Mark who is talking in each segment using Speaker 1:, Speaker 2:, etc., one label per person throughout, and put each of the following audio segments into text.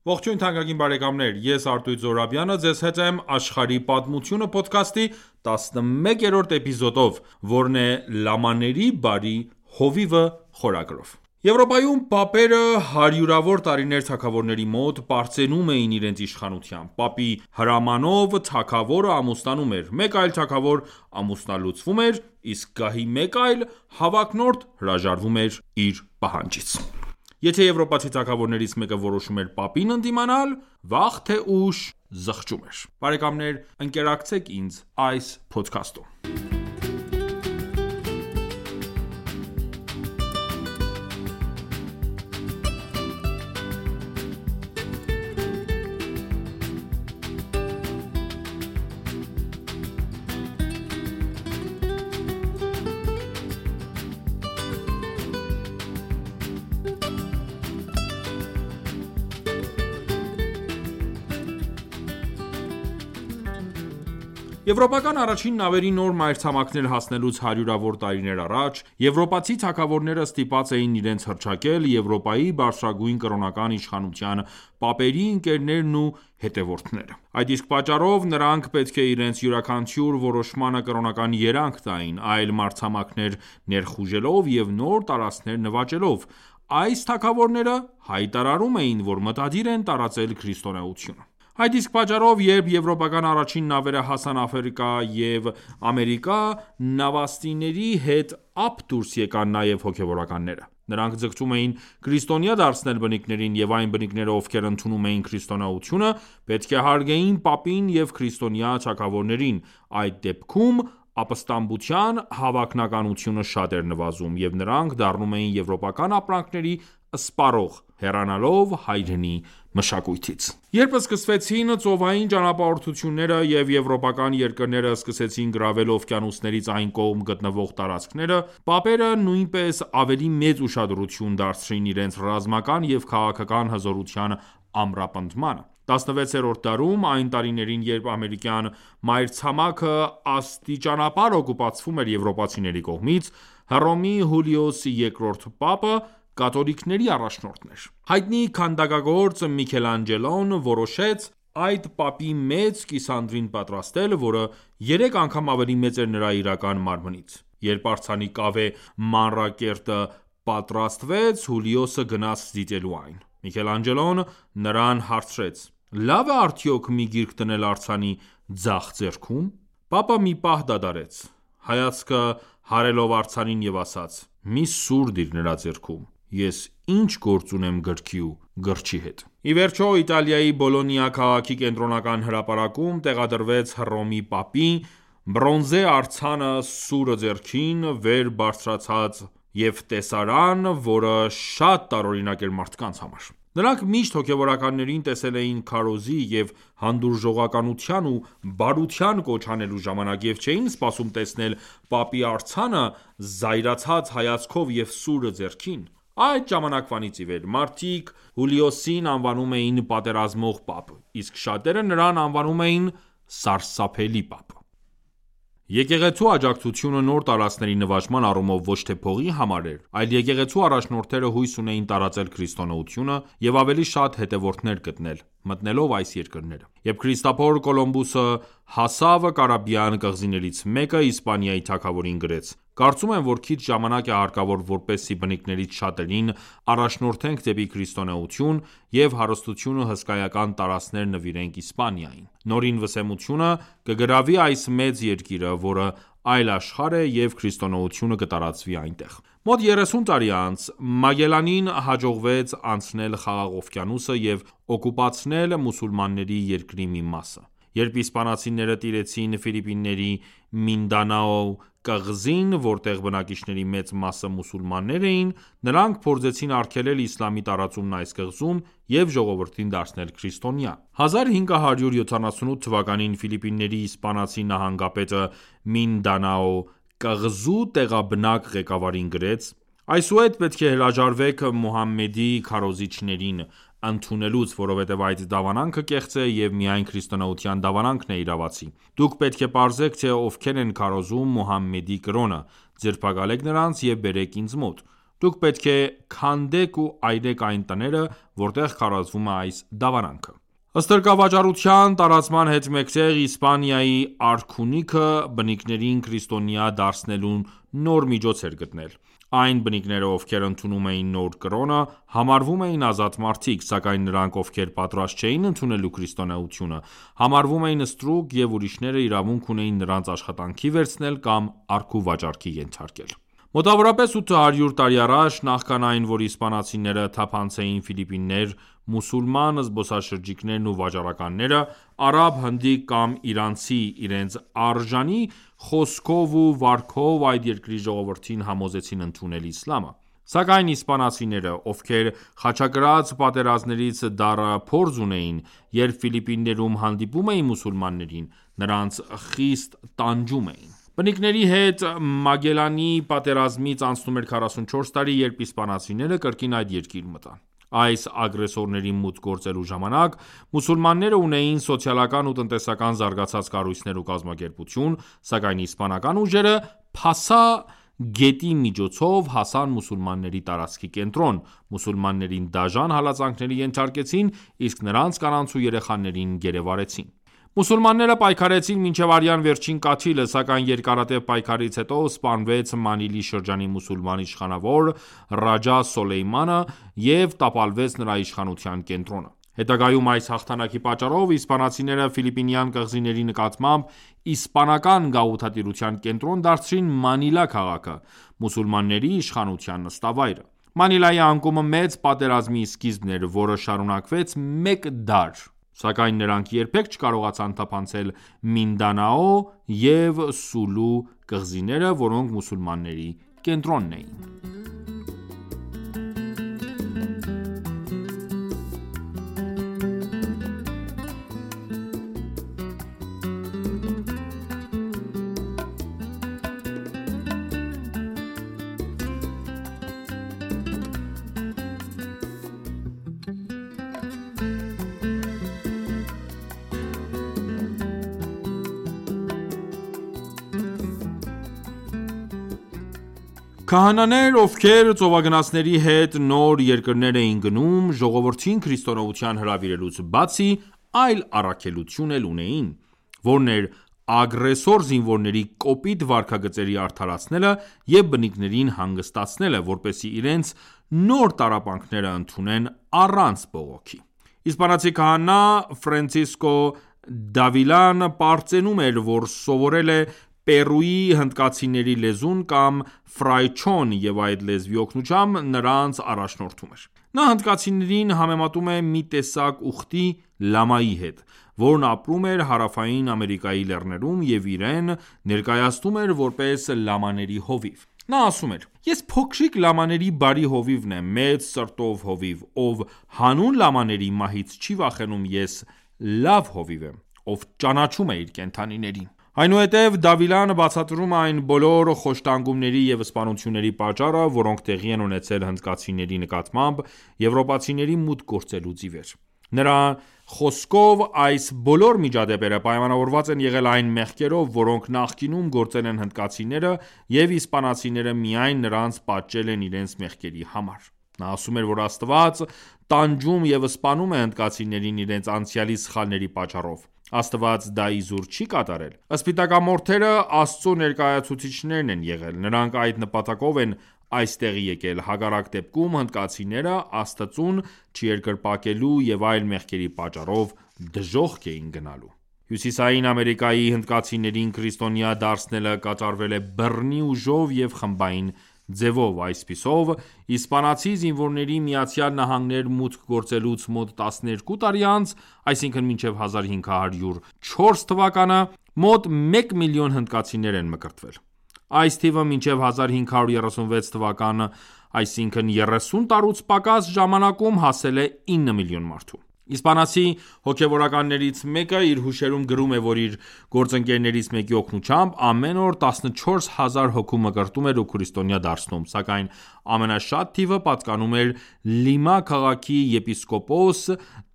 Speaker 1: Ողջույն թանկագին բարեկամներ, ես Արտույտ Զոհրաբյանը ձեզ հետ եմ աշխարհի պատմությունը փոդքասթի 11-րդ էպիզոդով, որն է «Լամաների բարի հովիվը» խորագրով։ Եվրոպայում պապերը հարյուրավոր տարիներ թագավորների մոտ պարծենում էին իրենց իշխանությամբ։ Պապի հրամանով թագավորը ամուսնանում էր, մեկ այլ թագավոր ամուսնալուծվում էր, իսկ գահի մեկ այլ հավակնորդ հրաժարվում էր իր պահանջից։ Եթե եվրոպացի թագավորներից մեկը որոշում էր պապին ընդդիմանալ, վաղ թե ուշ զղջում էր։ Բարեկամներ, ընկերակցեք ինձ այս փոդքասթում։ Եվրոպական առաջին նավերի նոր մայրցամաքներ հասնելուց հարյուրավոր տարիներ առաջ, եվրոպացի թագավորները ստիպված էին իրենց հռչակել Եվրոպայի բարձրագույն կրոնական իշխանության պապերի ընկերներն ու հետևորդները։ Այդ իսկ պատճառով նրանք պետք է իրենց յուրաքանչյուր որոշմանը կրոնական երանգ տային, այլ մայրցամաքներ ներխուժելով և նոր տարածքներ նվաճելով։ Այս թագավորները հայտարարում էին, որ մտադիր են տարածել քրիստոնեությունը։ Այդ իսկ պատճառով, երբ եվրոպական առաջին նավերը հասան Աֆրիկա և Ամերիկա, նավաստիների հետ ապ դուրս եկան նաև հոգևորականները։ Նրանք ձգտում էին քրիստոնյա դարձնել բնիկներին, և այն բնիկները, ովքեր ընդունում էին քրիստոնեությունը, պետք է հարգեին պապին և քրիստոնյա թագավորներին։ Այդ դեպքում ապստամբության հավանականությունը շատ էր նվազում, և նրանք դառնում էին եվրոպական ապրանքների սպառող, հեռանալով հայրենի մշակույթից։ Երբ սկսվեցին ծովային ճանապարհորդությունները և եվրոպական երկրները սկսեցին գրավել օվկիանոսներից այն կողմ գտնվող տարածքները, պապերը նույնպես ավելի մեծ ուշադրություն դարձրին իրենց ռազմական և քաղաքական հզորության ամրապնդմանը։ 16-րդ դարում, այն տարիներին, երբ ամերիկյան մայրցամաքը աստիճանաբար օկուպացվում էր եվրոպացիների կողմից, Հռոմի Հուլիոս II պապը կաթոլիկների առաջնորդն էր։ Հայտնի քանդակագործ Միքելանջելոն որոշեց այդ պապի մեծ կիսանդրին պատրաստել, որը 3 անգամ ավելի մեծ էր նրա իրական մարմնից։ Երբ արձանի կավե մանրակերտը պատրաստվեց, Հուլիոսը գնաց դիտելու այն։ Միքելանջելոն նրան հարցրեց. «Լավ է արդյոք մի գիրք դնել արձանի ձախ ձեռքում»։ Պապը մի պահ դադարեց, հայացքը հարելով արձանին և ասաց. «Մի սուր դիր նրա ձեռքում, ես ինչ գործ ունեմ գրքի ու գրչի հետ»։ Ի վերջո, Իտալիայի Բոլոնիա քաղաքի կենտրոնական հրապարակում տեղադրվեց Հռոմի պապի բրոնզե արձանը սուրը ձեռքին վեր բարձրացած և տեսարան, որը շատ տարօրինակ էր մարդկանց համար։ Նրանք միշտ հոգևորականներին տեսել էին քարոզի և հանդուրժողականության ու բարության կոչ անելու ժամանակ և չէին սպասում տեսնել պապի արձանը զայրացած հայացքով և սուրը ձեռքին։ Այդ ժամանակվանից ի վեր մարդիկ Հուլիոսին անվանում էին պատերազմող պապ, իսկ շատերը նրան անվանում էին սարսափելի պապ։ Եկեղեցու աջակցությունը նոր տարածքների նվաճման առումով ոչ թե փողի համար էր, այլ եկեղեցու առաջնորդները հույս ունեին տարածել քրիստոնեությունը և ավելի շատ հետևորդներ գտնել՝ մտնելով այս երկրները։ Երբ Քրիստափոր Կոլումբոսը հասավ Կարիբյան կղզիներից մեկը, Իսպանիայի թագավորին գրեց. «Կարծում եմ, որ քիչ ժամանակ է հարկավոր, որպեսզի բնիկներից շատերին առաջնորդենք դեպի քրիստոնեություն և հարստությունը հսկայական տարածքներ նվիրենք Իսպանիային։ Նորին վսեմությունը կգրավի այս մեծ երկիրը, որը այլ աշխարհ է, և քրիստոնեությունը կտարածվի այնտեղ»։ Մոտ 30 տարի անց Մագելլանին հաջողվեց անցնել Խաղաղ օվկիանոսը և օկուպացնել մուսուլմանների երկրի մի մասը։ Երբ իսպանացիները տիրեցին Ֆիլիպինների Մինդանաո կղզին, որտեղ բնակիչների մեծ մասը մուսուլմաններ էին, նրանք փորձեցին արգելել իսլամի տարածումն այս կղզում և ժողովրդին դարձնել քրիստոնյա։ 1578 թվականին Ֆիլիպինների իսպանացի նահանգապետը Մինդանաո կղզու տեղաբնակ ղեկավարին գրեց. «Այսուհետ պետք է հրաժարվեք Մուհամմեդի քարոզիչներին ընդունելուց, որովհետև այդ դավանանքը կեղծ է և միայն քրիստոնեության դավանանքն է իրավացի։ Դուք պետք է պարզեք, թե ովքեր են քարոզում Մուհամմեդի կրոնը, ձերբակալեք նրանց և բերեք ինձ մոտ։ Դուք պետք է քանդեք ու այրեք այն տները, որտեղ քարոզվում է այս դավարանքը։ Ստրկավաճառության տարածման հետ մեկտեղ Իսպանիայի արքունիքը բնիկներին քրիստոնյա դարձնելուն նոր միջոց էր գտնել։ Այն բնիկները, ովքեր ընդունում էին նոր կրոնը, համարվում էին ազատ մարդիկ, սակայն նրանք, ովքեր պատրաստ չէին ընդունելու քրիստոնեությունը, համարվում էին ստրուկ և ուրիշները իրավունք ունեին նրանց աշխատանքի վերցնել կամ առքուվաճառքի ենթարկել։ Մոտավորապես 800 տարի առաջ, նախքան այն, որ իսպանացիները թափանցեին Ֆիլիպիններ, մուսուլման զբոսաշրջիկներն ու վաճառականները, արաբ, հնդիկ կամ իրանցի իրենց արժանի խոսքով ու վարքով այդ երկրի ժողովրդին համոզեցին ընդունել իսլամը։ Սակայն իսպանացիները, ովքեր խաչակրաց պատերազմներից դառը փորձ ունեին, երբ Ֆիլիպիններում հանդիպում էին մուսուլմաններին, նրանց խիստ տանջում էին։ Բնիկների հետ Մագելլանի պատերազմից անցնում էր 44 տարի, երբ իսպանացիները կրկին այդ երկիր մտան։ Այս ագրեսորների մուտք գործելու ժամանակ մուսուլմանները ունեին սոցիալական ու տնտեսական զարգացած կառույցներ ու կազմակերպություն, սակայն իսպանական ուժերը Փասա գետի միջոցով հասան մուսուլմանների տարածքի կենտրոն, մուսուլմաններին դաժան հալածանքների ենթարկեցին, իսկ նրանց կանանց ու երեխաներին գերեվարեցին։ Մուսուլմանները պայքարեցին մինչև արյան վերջին կաթիլը, սակայն երկարատև պայքարից հետո սպանվեց Մանիլի շրջանի մուսուլման իշխանավոր Ռաջա Սոլեյմանը և տապալվեց նրա իշխանության կենտրոնը։ Հետագայում այս հաղթանակի պատճառով իսպանացիները ֆիլիպինյան կղզիների նկատմամբ իսպանական գաղութատիրության կենտրոն դարձրին Մանիլա քաղաքը, մուսուլմանների իշխանության նստավայրը։ Մանիլայի անկումը մեծ պատերազմի սկիզբն էր, որը շարունակվեց մեկ դար, սակայն նրանք երբեք չկարողացան թափանցել Մինդանաո և Սուլու կղզիները, որոնք մուսուլմանների կենտրոնն էին։ Քահանաներ, ովքեր ծովագնացների հետ նոր երկրներ էին գնում, ժողովրդին քրիստոնեության հրավիրելուց բացի, այլ առաքելություն էլ ունեին, որն էր ագրեսոր զինվորների կոպիտ վարքագծերի արդարացնելը և բնիկներին հանգստացնելը, որպեսզի իրենց նոր տառապանքները ընդունեն առանց բողոքի։ Իսպանացի քահանա Ֆրանցիսկո Դավիլան պարծենում էր, որ սովորել է Պերույի հնդկացիների լեզուն կամ ֆրայչոն և այդ լեզվի օգնությամբ նրանց առաջնորդում էր։ Նա հնդկացիներին համեմատում է մի տեսակ ուխտի լամայի հետ, որն ապրում էր Հարավային Ամերիկայի լեռներում և իրեն ներկայացնում էր որպես լամաների հովիվ։ Նա ասում էր. «Ես փոքրիկ լամաների բարի հովիվն եմ, մեծ սրտով հովիվ, ով հանուն լամաների մահից չի վախենում, ես լավ հովիվ եմ, ով ճանաչում է իր կենդանիներին»։ Այնուհետև Դավիլան բացատրում է այն բոլոր խոշտանգումների և սպանությունների պատճառը, որոնք տեղի են ունեցել հնդկացիների նկատմամբ եվրոպացիների մուտք գործելուց ի վեր։ Նրա խոսքով այս բոլոր միջադեպերը պայմանավորված են եղել այն մեղքերով, որոնք նախկինում գործել են հնդկացիները, և իսպանացիները միայն նրանց պատժել են իրենց մեղքերի համար։ Նա ասում էր, որ Աստված տանջում և սպանում է հնդկացիներին իրենց անցյալի սխալների պատճառով։ Աստված դա իզուր չի կատարել։ Սպիտակամորթերը Աստծո ներկայացուցիչներն են եղել։ Նրանք այդ նպատակով են այստեղ եկել։ Հակառակ դեպքում հնդկացիները Աստծուն չերկրպագելու և այլ մեղքերի պատճառով դժոխք էին գնալու։ Հյուսիսային Ամերիկայի հնդկացիներին քրիստոնյա դարձնելը կատարվել է բռնի ուժով և խմբային ձևով։ Այսպիսով, իսպանացի զինվորների ԱՄՆ մուտք գործելուց մոտ 12 տարի անց, այսինքն մինչև 1504 թվականը, մոտ 1 միլիոն հնդկացիներ են մկրտվել։ Այս թիվը մինչև 1536 թվականը, այսինքն 30 տարուց պակաս ժամանակում հասել է 9 միլիոն մարդու։ Իսպանացի հոգևորականներից մեկը իր հուշերում գրում է, որ իր գործընկերներից մեկի օգնությամբ ամեն օր 14,000 հոգու մկրտում էր ու քրիստոնյա դարձնում, սակայն ամենաշատ թիվը պատկանում էր Լիմա քաղաքի եպիսկոպոս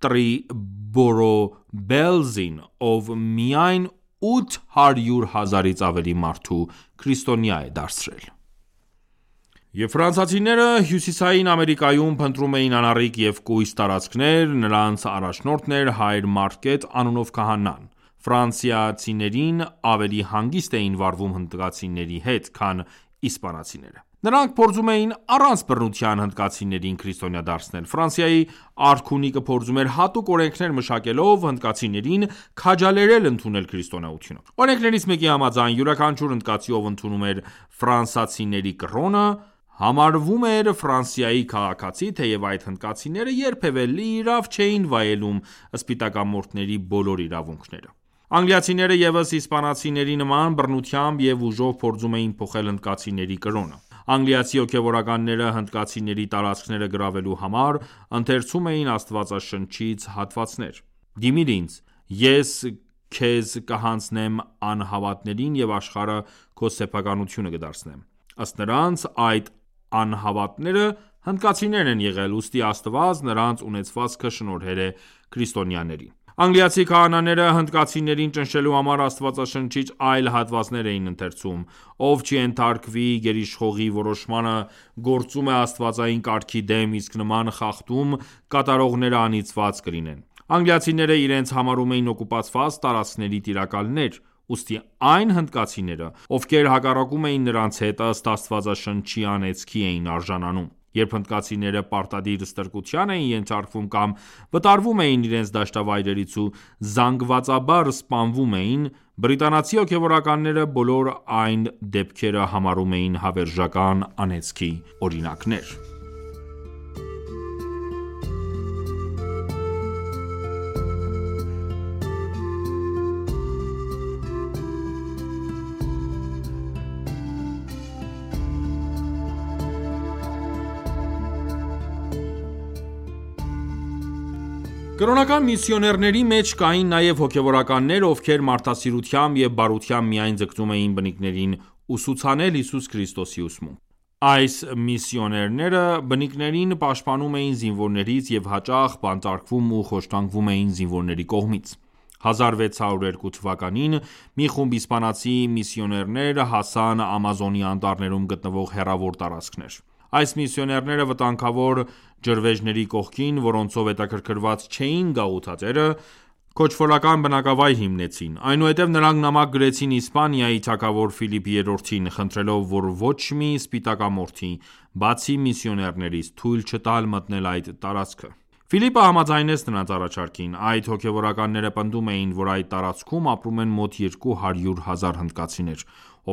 Speaker 1: Տրիբորոբելզին, ով միայն 800,000-ից ավելի մարդու քրիստոնյա է դարձրել։ Եվ ֆրանսիացիները Հյուսիսային Ամերիկայում փնտրում էին անառիկ և կույս տարածքներ, նրանց առաջնորդն էր հայր Մարկետ անունով քահանան: Ֆրանսիացիներին ավելի հանգիստ էին վարվում հնդկացիների հետ, քան իսպանացիները: Նրանք փորձում էին առանց բռնության հնդկացիներին քրիստոնյա դարձնել: Ֆրանսիայի արքունիկը փորձում էր հատուկ օրենքներ մշակելով հնդկացիներին քաջալերել ընդունել քրիստոնեությունը: Օրենքներից մեկի համաձայն, յուրաքանչյուր հնդկացի, ով ընդունում էր ֆրանսիացիների կրոնը, համարվում էր Ֆրանսիայի քաղաքացի, թեև այդ հնդկացիները երբևէ լիիրավ չէին վայելում սպիտակամորթների բոլոր իրավունքները: Անգլիացիները ևս իսպանացիների նման բռնությամբ և ուժով փորձում էին փոխել հնդկացիների կրոնը: Անգլիացի հոգևորականները հնդկացիների տարածքները գրավելու համար ընթերցում էին Աստվածաշնչից հատվածներ: Դիմիր ինձ, ես քեզ կհանձնեմ անհավատներին և աշխարհը քո սեփականությունը կդարձնեմ: Ըստ նրանց, այդ անհավատները հնդկացիներն են եղել, ուստի Աստված նրանց ունեցվածքը շնորհել է քրիստոնյաներին: Անգլիացի քահանաները հնդկացիներին ճնշելու համար Աստվածաշնչից այլ հատվածներ էին ընթերցում: Ով չենթարկվի գերիշխողի որոշմանը, գործում է աստվածային կարգի դեմ, իսկ նման խախտում կատարողները անիծված կլինեն: Անգլիացիները իրենց համարում էին օկուպացված տարածքների տիրակալներ: Ուստի այն հնդկացիները, ովքեր հակառակում էին նրանց հետ, ըստ Աստվածաշնչի անեծքի էին արժանանում: Երբ հնդկացիները պարտադիր ստրկության էին ենթարկվում կամ վտարվում էին իրենց դաշտավայրերից ու զանգվածաբար սպանվում էին, բրիտանացի հոգևորականները բոլոր այն դեպքերը համարում էին հավերժական անեծքի օրինակներ: Կրոնական միսիոներների մեջ կային նաև հոգևորականներ, ովքեր մարդասիրությամբ և բարությամբ միայն ձգտում էին բնիկներին ուսուցանել Հիսուս Քրիստոսի ուսմունք: Այս միսիոներները բնիկներին պաշտպանում էին զինվորներից և հաճախ բանտարկվում ու խոշտանգվում էին զինվորների կողմից: 1602 թվականին մի խումբ իսպանացի միսիոներներ հասան Ամազոնի անտառներում գտնվող հեռավոր տարածքներ: Այս միսիոներները վտանգավոր ջրվեժների կողքին, որոնցով հետաքրքրված չէին գաղութատերը, քոչվորական բնակավայր հիմնեցին: Այնուհետև նրանք նամակ գրեցին Իսպանիայի թագավոր Ֆիլիպ III-ին, խնդրելով, որ ոչ մի սպիտակամորթի, բացի միսիոներներից, թույլ չտալ մտնել այդ տարածքը: Ֆիլիպը համաձայնեց նրանց առաջարկին: Այդ հոգևորականները պնդում էին, որ այդ տարածքում ապրում են մոտ 200,000 հնդկացիներ,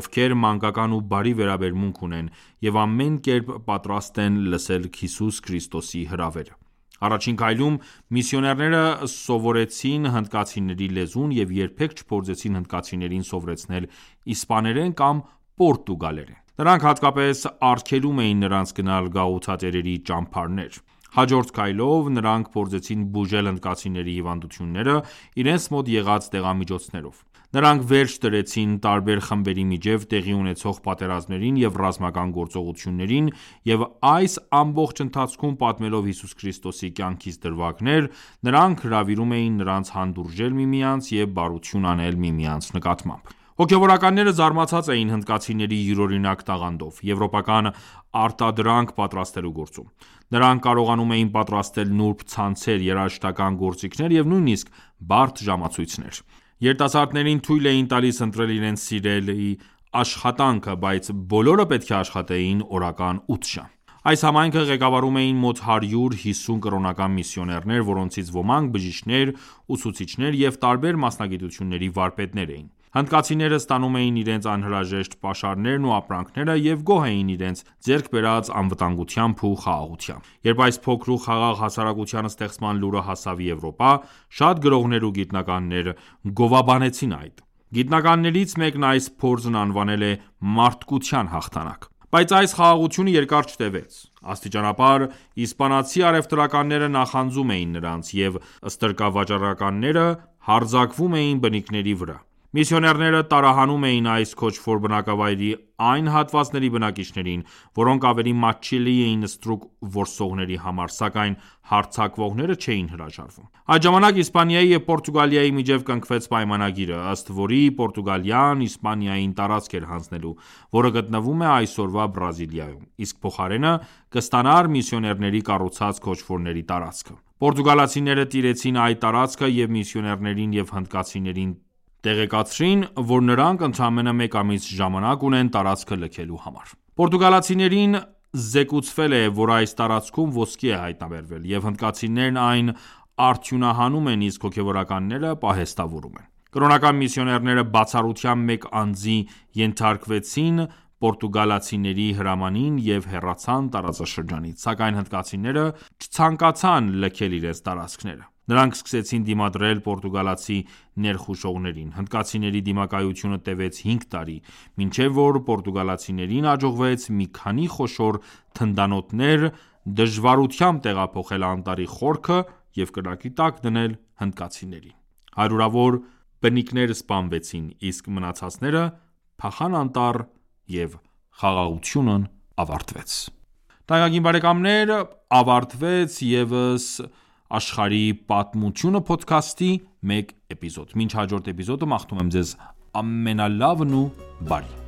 Speaker 1: ովքեր մանկական ու բարի վերաբերմունք ունեն և ամեն կերպ պատրաստ են լսել Հիսուս Քրիստոսի հրավերը: Առաջին քայլում միսիոներները սովորեցին հնդկացիների լեզուն և երբեք չփորձեցին հնդկացիներին սովորեցնել իսպաներեն կամ պորտուգալերեն: Նրանք հատկապես արգելում էին նրանց գնալ գաղութատերերի ճամբարներ: Հաջորդ քայլով նրանք փորձեցին բուժել հնդկացիների հիվանդությունները իրենց մոտ եղած դեղամիջոցներով: Նրանք վերջ դրեցին տարբեր խմբերի միջև տեղի ունեցող պատերազմներին և ռազմական գործողություններին և այս ամբողջ ընթացքում պատմելով Հիսուս Քրիստոսի կյանքից դրվագներ, նրանք հրավիրում էին նրանց հանդուրժել միմյանց և բարություն անել միմյանց նկատմամբ: Հոգևորականները զարմացած էին հնդկացիների յուրօրինակ տաղանդով, եվրոպական արտադրանք պատրաստելու գործում: Նրանք կարողանում էին պատրաստել նուրբ ցանցեր, երաժշտական գործիքներ և նույնիսկ բարդ ժամացույցներ: Երիտասարդներին թույլ էին տալիս ընտրել իրենց սիրելի աշխատանքը, բայց բոլորը պետք է աշխատեին օրական 8 ժամ: Այս համայնքը ղեկավարում էին մոտ 150 կրոնական միսիոներներ, որոնցից ոմանք բժիշկներ, ուսուցիչներ և տարբեր մասնագիտությունների վարպետներ էին: Հնդկացիները ստանում էին իրենց անհրաժեշտ պաշարներն ու ապրանքները և գոհ էին իրենց ձեռք բերած անվտանգությամբ ու խաղաղությամբ: Երբ այս փոքր ու խաղաղ հասարակության ստեղծման լուրը հասավ Եվրոպա, շատ գրողներ ու գիտնականներ գովաբանեցին այդ: Գիտնականներից մեկն այս փորձն անվանել է մարդկության հաղթանակ: Բայց այս խաղաղությունը երկար չտեւեց: Աստիճանաբար իսպանացի առևտրականները նախանձում էին նրանց, և ստրկավաճառականները հարձակվում էին բնիկների վրա: Միսիոներները տարահանում էին այս քոչվոր բնակավայրի այն հատվածների բնակիչներին, որոնք ավելի մատչելի էին ստրուկ որսողների համար, սակայն հարձակվողները չէին հրաժարվում։ Այդ ժամանակ Իսպանիայի և Պորտուգալիայի միջև կնքվեց պայմանագիրը, ըստ որի Պորտուգալիան Իսպանիային տարածք էր հանձնելու, որը գտնվում է այսօրվա Բրազիլիայում, իսկ փոխարենը կստանար միսիոներների կառուցած քոչվորների տարածքը։ Պորտուգալացիները տիրեցին այդ տարածքը և միսիոներներին և հնդկացիներին տեղեկացրին, որ նրանք ընդամենը մեկ ամիս ժամանակ ունեն տարածքը լքելու համար։ Պորտուգալացիներին զեկուցվել է, որ այս տարածքում ոսկի է հայտնաբերվել, և հնդկացիներն այն արդյունահանում են, իսկ հոգևորականները պահեստավորում են։ Կրոնական միսիոներները բացառությամբ մեկ անձի ենթարկվեցին պորտուգալացիների հրամանին և հեռացան տարածաշրջանից, սակայն հնդկացիները չցանկացան լքել իրենց տարածքները։ Նրանք սկսեցին դիմադրել պորտուգալացի ներխուժողներին։ Հնդկացիների դիմակայությունը տևեց 5 տարի, մինչև որ պորտուգալացիներին հաջողվեց մի քանի խոշոր թնդանոթներ դժվարությամբ տեղափոխել անտառի խորքը և կրակի տակ դնել հնդկացիներին։ Հարյուրավոր բնիկներ սպանվեցին, իսկ մնացածները փախան անտառ և խաղաղությունն ավարտվեց։ Թանկագին բարեկամներ, ավարտվեց ևս «Աշխարհի պատմությունը» փոդքասթի մեկ էպիզոդ։ Մինչ հաջորդ էպիզոդը մաղթում եմ ձեզ ամենալավն ու բարին։